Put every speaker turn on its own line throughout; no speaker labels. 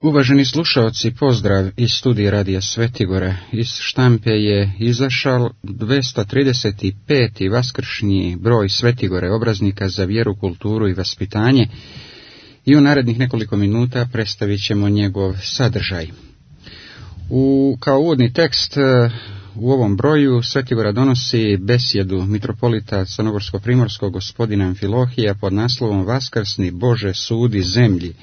Uvaženi slušaoci, pozdrav iz studija Radija Svetigora. Iz štampe je izašao 235. vaskršnji broj Svetigore, obraznika za vjeru, kulturu i vaspitanje, i u narednih nekoliko minuta predstavit ćemo njegov sadržaj. Kao uvodni tekst u ovom broju Svetigora donosi besjedu mitropolita crnogorsko-primorskog gospodina Amfilohija pod naslovom Vaskrsni Bože sudi zemlji.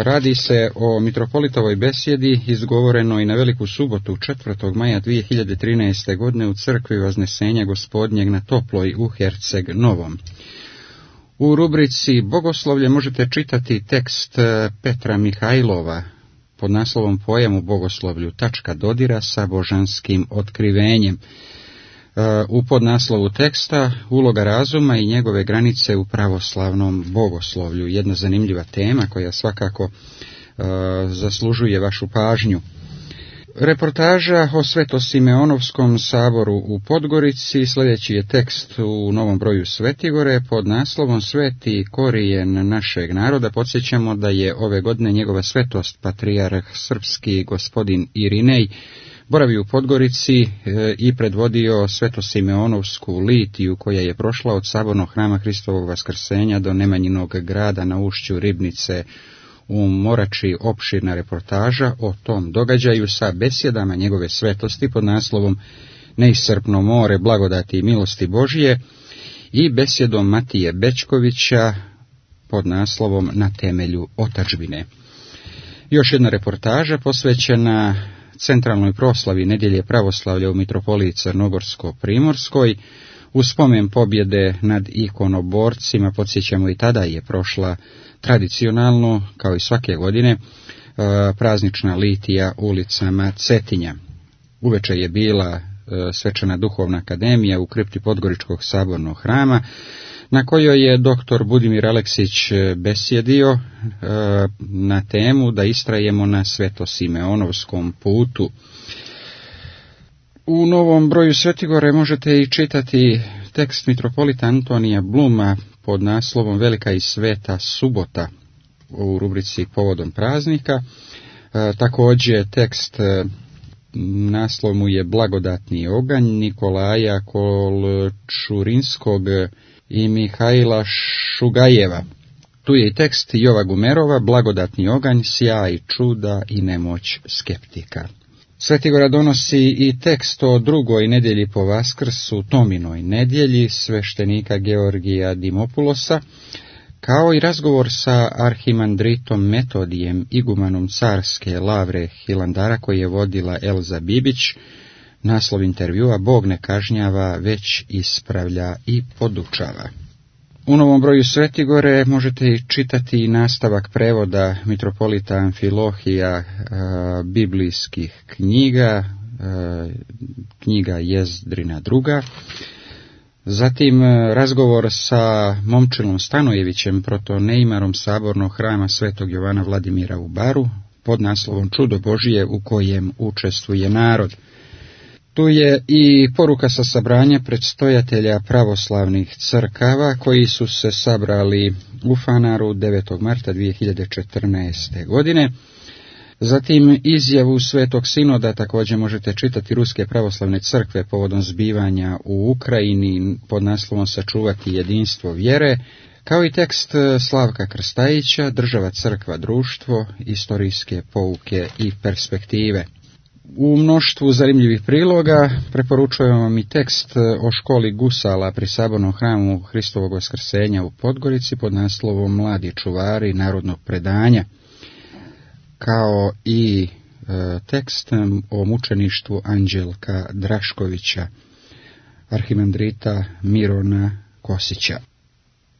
Radi se o mitropolitovoj besjedi izgovorenoj na Veliku subotu 4. maja 2013. godine u crkvi Vaznesenja Gospodnjeg na Toploj u Herceg Novom. U rubrici Bogoslovlje možete čitati tekst Petra Mihajlova pod naslovom Pojam u bogoslovlju, tačka dodira sa božanskim otkrivenjem. U podnaslovu teksta Uloga razuma i njegove granice u pravoslavnom bogoslovlju. Jedna zanimljiva tema koja svakako zaslužuje vašu pažnju. Reportaža o Svetosimeonovskom saboru u Podgorici. Sljedeći je tekst u novom broju Svetigore pod naslovom Sveti korijen našeg naroda. Podsjećamo da je ove godine njegova svetost patrijarh srpski gospodin Irinej boravio u Podgorici i predvodio Svetosimeonovsku litiju koja je prošla od sabornog hrama Hristovog Vaskrsenja do Nemanjinog grada na ušću Ribnice u Morači. Opširna reportaža o tom događaju sa besjedama njegove svetosti pod naslovom Neiscrpno more blagodati i milosti Božije i besjedom Matije Bečkovića pod naslovom Na temelju otadžbine. Još jedna reportaža posvećena centralnoj proslavi nedjelje pravoslavlja u mitropoliji Crnogorsko-primorskoj. U spomen pobjede nad ikonoborcima, podsjećamo, i tada je prošla tradicionalno, kao i svake godine, praznična litija ulicama Cetinja. Uveče je bila svečana duhovna akademija u kripti Podgoričkog sabornog hrama, na kojoj je dr. Budimir Aleksić besjedio na temu da istrajemo na Svetosimeonovskom putu. U novom broju Svetigore možete i čitati tekst mitropolita Antonija Bluma pod naslovom Velika i sveta subota u rubrici Povodom praznika. Također tekst, naslov mu je Blagodatni oganj Nikolaja Kolčurinskog i Mihajla Šugajeva. Tu je i tekst Jova Gumerova, Blagodatni oganj, sjaj čuda i nemoć skeptika. Svetigora donosi i tekst o drugoj nedjelji po Vaskrsu, Tominoj nedjelji, sveštenika Georgija Dimopulosa, kao i razgovor sa arhimandritom Metodijem, igumanom carske Lavre Hilandara, koji je vodila Elza Bibić. Naslov intervjua Bog ne kažnjava, već ispravlja i podučava. U novom broju Svetigore možete i čitati nastavak prevoda mitropolita Amfilohija biblijskih knjiga, knjiga Jezdrina II. Zatim razgovor sa Momčilom Stanojevićem, protoneimarom sabornog hrama Svetog Jovana Vladimira u Baru, pod naslovom Čudo Božije u kojem učestvuje narod. Tu je i poruka sa sabranja predstojatelja pravoslavnih crkava koji su se sabrali u Fanaru 9. marta 2014. godine. Zatim izjavu Svetog Sinoda također možete čitati Ruske pravoslavne crkve povodom zbivanja u Ukrajini pod naslovom Sačuvati jedinstvo vjere, kao i tekst Slavka Krstajića Država, crkva, društvo, istorijske pouke i perspektive. U mnoštvu zanimljivih priloga preporučujemo vam i tekst o školi gusala pri sabornom hramu Hristovog Vaskrsenja u Podgorici pod naslovom Mladi čuvari narodnog predanja, kao i tekst o mučeništvu Anđelka Draškovića, arhimandrita Mirona Kosića.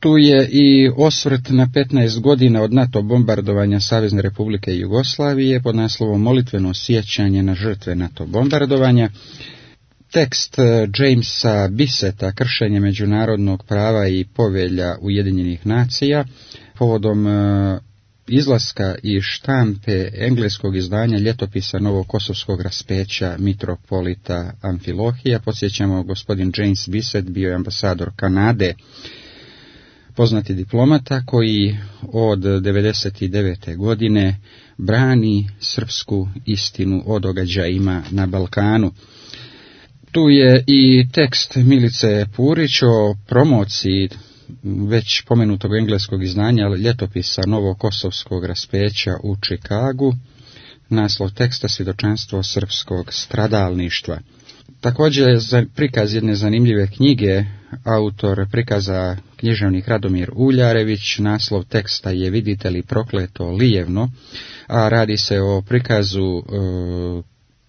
Tu je i osvrt na 15 godina od NATO bombardovanja Savezne Republike Jugoslavije pod naslovom Molitveno sjećanje na žrtve NATO bombardovanja, tekst Jamesa Bisseta Kršenje međunarodnog prava i povelja Ujedinjenih nacija povodom izlaska iz štampe engleskog izdanja ljetopisa novokosovskog raspeća mitropolita Amfilohija. Podsjećamo, gospodin James Bisset bio je ambasador Kanade. poznati diplomata koji od 99. godine brani srpsku istinu o događajima na Balkanu. Tu je i tekst Milice Purić o promociji već pomenutog engleskog izdanja ljetopisa Novokosovskog raspeća u Čikagu. Naslov teksta svjedočanstvo srpskog stradalništva. Također je prikaz jedne zanimljive knjige, autor prikaza književnik Radomir Uljarević. Naslov teksta je Vidite li prokleto lijevno, a radi se o prikazu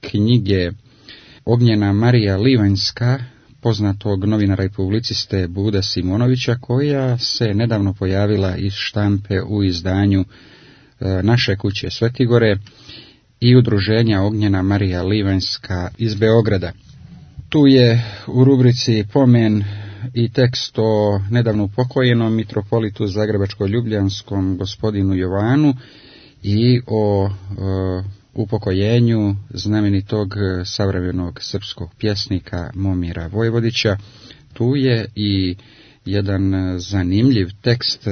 knjige Ognjena Marija Livanjska, poznatog novinara i publiciste Bude Simonovića, koja se nedavno pojavila iz štampe u izdanju Naše kuće Svetigore i udruženja Ognjena Marija Livanjska iz Beograda. Tu je u rubrici pomen i tekst o nedavno upokojenom mitropolitu Zagrebačko-Ljubljanskom gospodinu Jovanu i o upokojenju znamenitog savremenog srpskog pjesnika Momira Vojvodića. Tu je i jedan zanimljiv tekst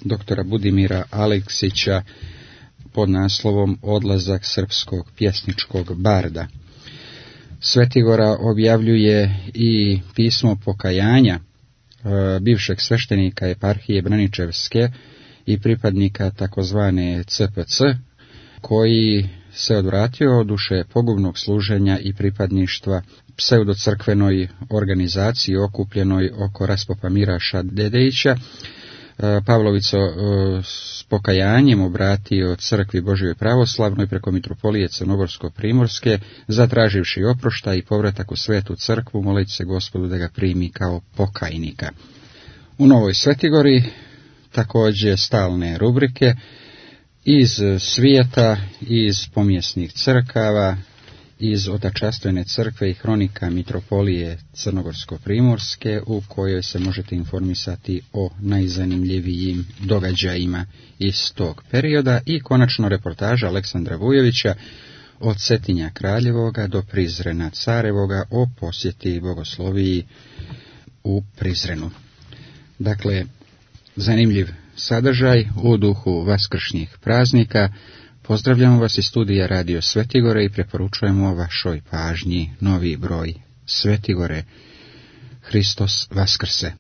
doktora Budimira Aleksića pod naslovom Odlazak srpskog pjesničkog barda. Svetigora objavljuje i pismo pokajanja bivšeg sveštenika eparhije Braničevske i pripadnika takozvane CPC, koji se odvratio od duše pogubnog služenja i pripadništva pseudocrkvenoj organizaciji okupljenoj oko raspopa Miraša Dedejića. Pavlović s pokajanjem obratio crkvi Božjoj pravoslavnoj preko mitropolije Crnogorsko-primorske, zatraživši oproštaj i povratak u svetu crkvu, moleći se Gospodu da ga primi kao pokajnika. U Novoj Svetigori također stalne rubrike iz svijeta, iz pomjesnih crkava, iz Otačastvene crkve i hronika mitropolije Crnogorsko-primorske, u kojoj se možete informisati o najzanimljivijim događajima iz tog perioda, i konačno reportaža Aleksandra Vujovića od Cetinja Kraljevoga do Prizrena Carevoga o posjeti bogosloviji u Prizrenu. Dakle, zanimljiv sadržaj u duhu vaskršnjih praznika. Pozdravljamo vas iz studija Radio Svetigore i preporučujemo vašoj pažnji novi broj Svetigore. Hristos Vaskrse!